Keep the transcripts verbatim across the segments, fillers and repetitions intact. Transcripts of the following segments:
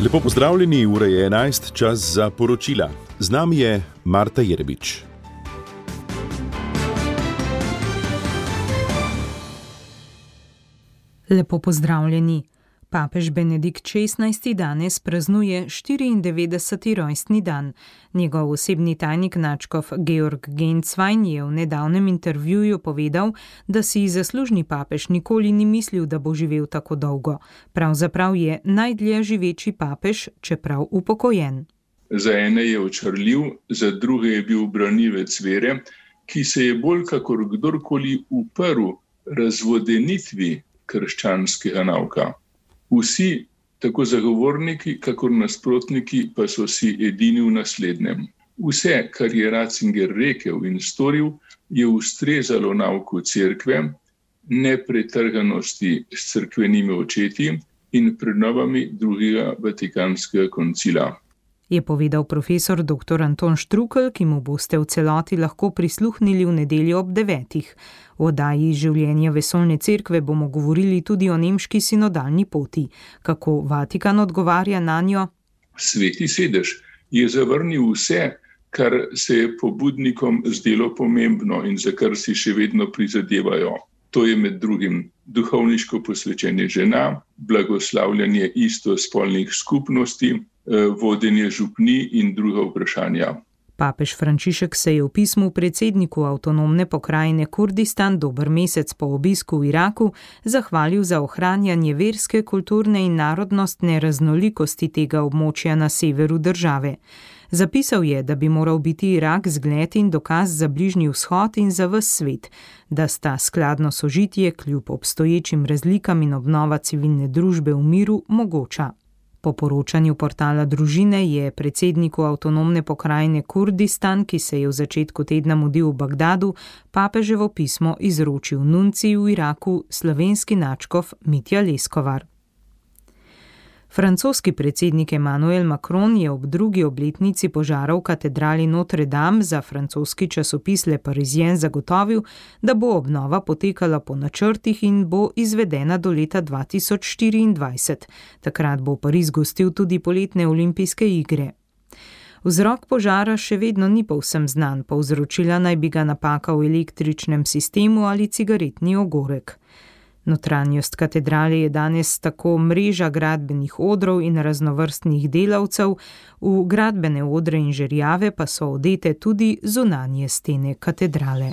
Lepo pozdravljeni, ura je enajst, čas za poročila. Z nami je Marta Jerbič. Lepo pozdravljeni. Papež Benedikt šestnajsti danes praznuje štiriindevetdeseti rojstni dan. Njegov osebni tajnik nadškof Georg Genswein je v nedavnem intervjuju povedal, da si zaslužni papež nikoli ni mislil, da bo živel tako dolgo. Pravzaprav je najdlje živeči papež, čeprav upokojen. Za ene je očarljiv, za druge je bil branivec vere, ki se je bolj kakor kdorkoli uprl razvodenitvi krščanskega nauka. Vsi, tako zagovorniki, kakor nasprotniki, pa so si edini v naslednjem. Vse, kar je Ratzinger rekel in storil, je ustrezalo nauku cerkve, nepretrganosti s cerkvenimi očeti in prenovami drugega Vatikanskega koncila. Je povedal profesor doktor Anton Štrukelj, ki mu boste v celoti lahko prisluhnili v nedeljo ob devetih. V oddaji Življenja vesoljne cerkve bomo govorili tudi o nemški sinodalni poti. Kako Vatikan odgovarja nanjo? Sveti sedež je zavrnil vse, kar se je pobudnikom zdelo pomembno in za kar si še vedno prizadevajo. To je med drugim duhovniško posvečenje žena, blagoslavljanje istospolnih skupnosti, vodenje župni in druga vprašanja. Papež Frančišek se je v pismu predsedniku avtonomne pokrajine Kurdistan dober mesec po obisku v Iraku zahvalil za ohranjanje verske, kulturne in narodnostne raznolikosti tega območja na severu države. Zapisal je, da bi moral biti Irak zgled in dokaz za Bližnji vzhod in za ves svet, da sta skladno sožitje kljub obstoječim razlikam in obnova civilne družbe v miru mogoča. Po poročanju portala Družine je predsedniku avtonomne pokrajine Kurdistan, ki se je v začetku tedna mudil v Bagdadu, papeževo pismo izročil nuncij v Iraku, slovenski nadškof Mitja Leskovar. Francoski predsednik Emmanuel Macron je ob drugi obletnici požara v katedrali Notre Dame za francoski časopis Le Parisien zagotovil, da bo obnova potekala po načrtih in bo izvedena do leta dva tisoč štiriindvajset. Takrat bo Pariz gostil tudi poletne olimpijske igre. Vzrok požara še vedno ni povsem znan, povzročila naj bi ga napaka v električnem sistemu ali cigaretni ogorek. Notranjost katedrale je danes tako mreža gradbenih odrov in raznovrstnih delavcev, v gradbene odre in žerjave pa so odete tudi zunanje stene katedrale.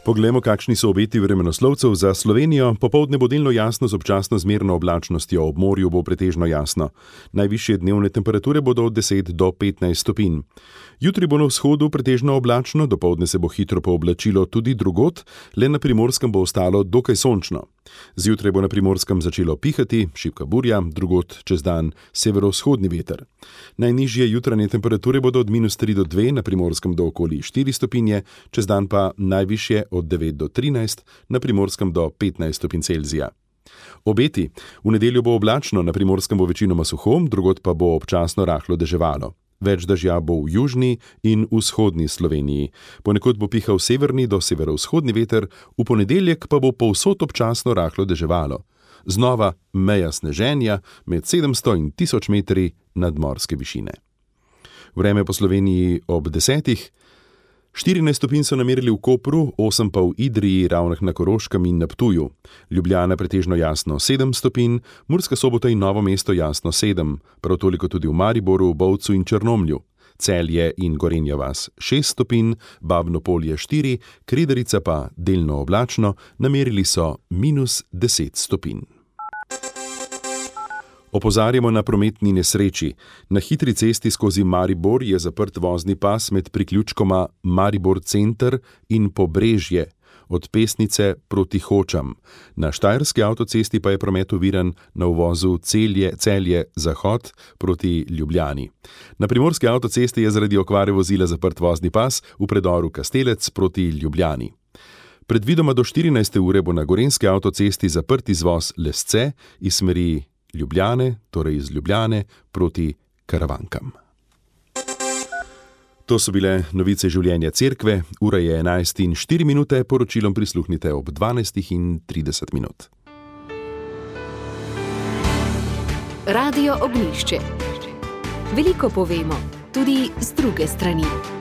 Poglejmo, kakšni so obeti vremenoslovcev za Slovenijo. Popoldne bo delno jasno z občasno zmerno oblačnostjo, ob morju bo pretežno jasno. Najvišje dnevne temperature bodo od deset do petnajst stopinj. Jutri bo na vzhodu pretežno oblačno, dopoldne se bo hitro pooblačilo tudi drugod, le na Primorskem bo ostalo dokaj sončno. Zjutraj bo na Primorskem začelo pihati, šibka burja, drugod čez dan severovzhodni veter. Najnižje jutranje temperature bodo od minus tri do dve, na Primorskem do okoli štiri stopinje, čez dan pa najvišje od devet do trinajst, na Primorskem do petnajst stopinj Celzija. Obeti. V nedeljo bo oblačno, na Primorskem bo večinoma suho, drugod pa bo občasno rahlo deževalo. Več dežja bo v južni in vzhodni Sloveniji. Ponekod bo pihal severni do severovzhodni veter, v ponedeljek pa bo povsod občasno rahlo deževalo. Znova meja sneženja med sedemsto in tisoč metri nadmorske višine. Vreme po Sloveniji ob desetih. štirinajst stopinj so namerili v Kopru, osem pa v Idriji, Ravnah na Koroškem in na Ptuju. Ljubljana pretežno jasno sedem stopinj, Murska Sobota in Novo mesto jasno sedem, prav toliko tudi v Mariboru, Bovcu in Črnomlju. Celje in Gorenja vas šest stopinj, Babno Polje štiri, Kredarica pa delno oblačno, namerili so minus deset stopinj. Opozarjamo na prometni nesreči. Na hitri cesti skozi Maribor je zaprt vozni pas med priključkoma Maribor center in Pobrežje, od Pesnice proti Hočam. Na Štajerski avtocesti pa je promet oviran na uvozu Celje, Celje Zahod proti Ljubljani. Na Primorski avtocesti je zaradi okvare vozila zaprt vozni pas v predoru Kastelec proti Ljubljani. Predvidoma do štirinajste ure bo na Gorenjski avtocesti zaprt izvoz Lesce iz smeri Ljubljane, torej iz Ljubljane proti Karavankam. To so bile novice življenja cerkve, ura je enajst in štiri minute, poročilom prisluhnite ob dvanajst in trideset minut. Radio Ognjišče. Veliko povemo, tudi z druge strani.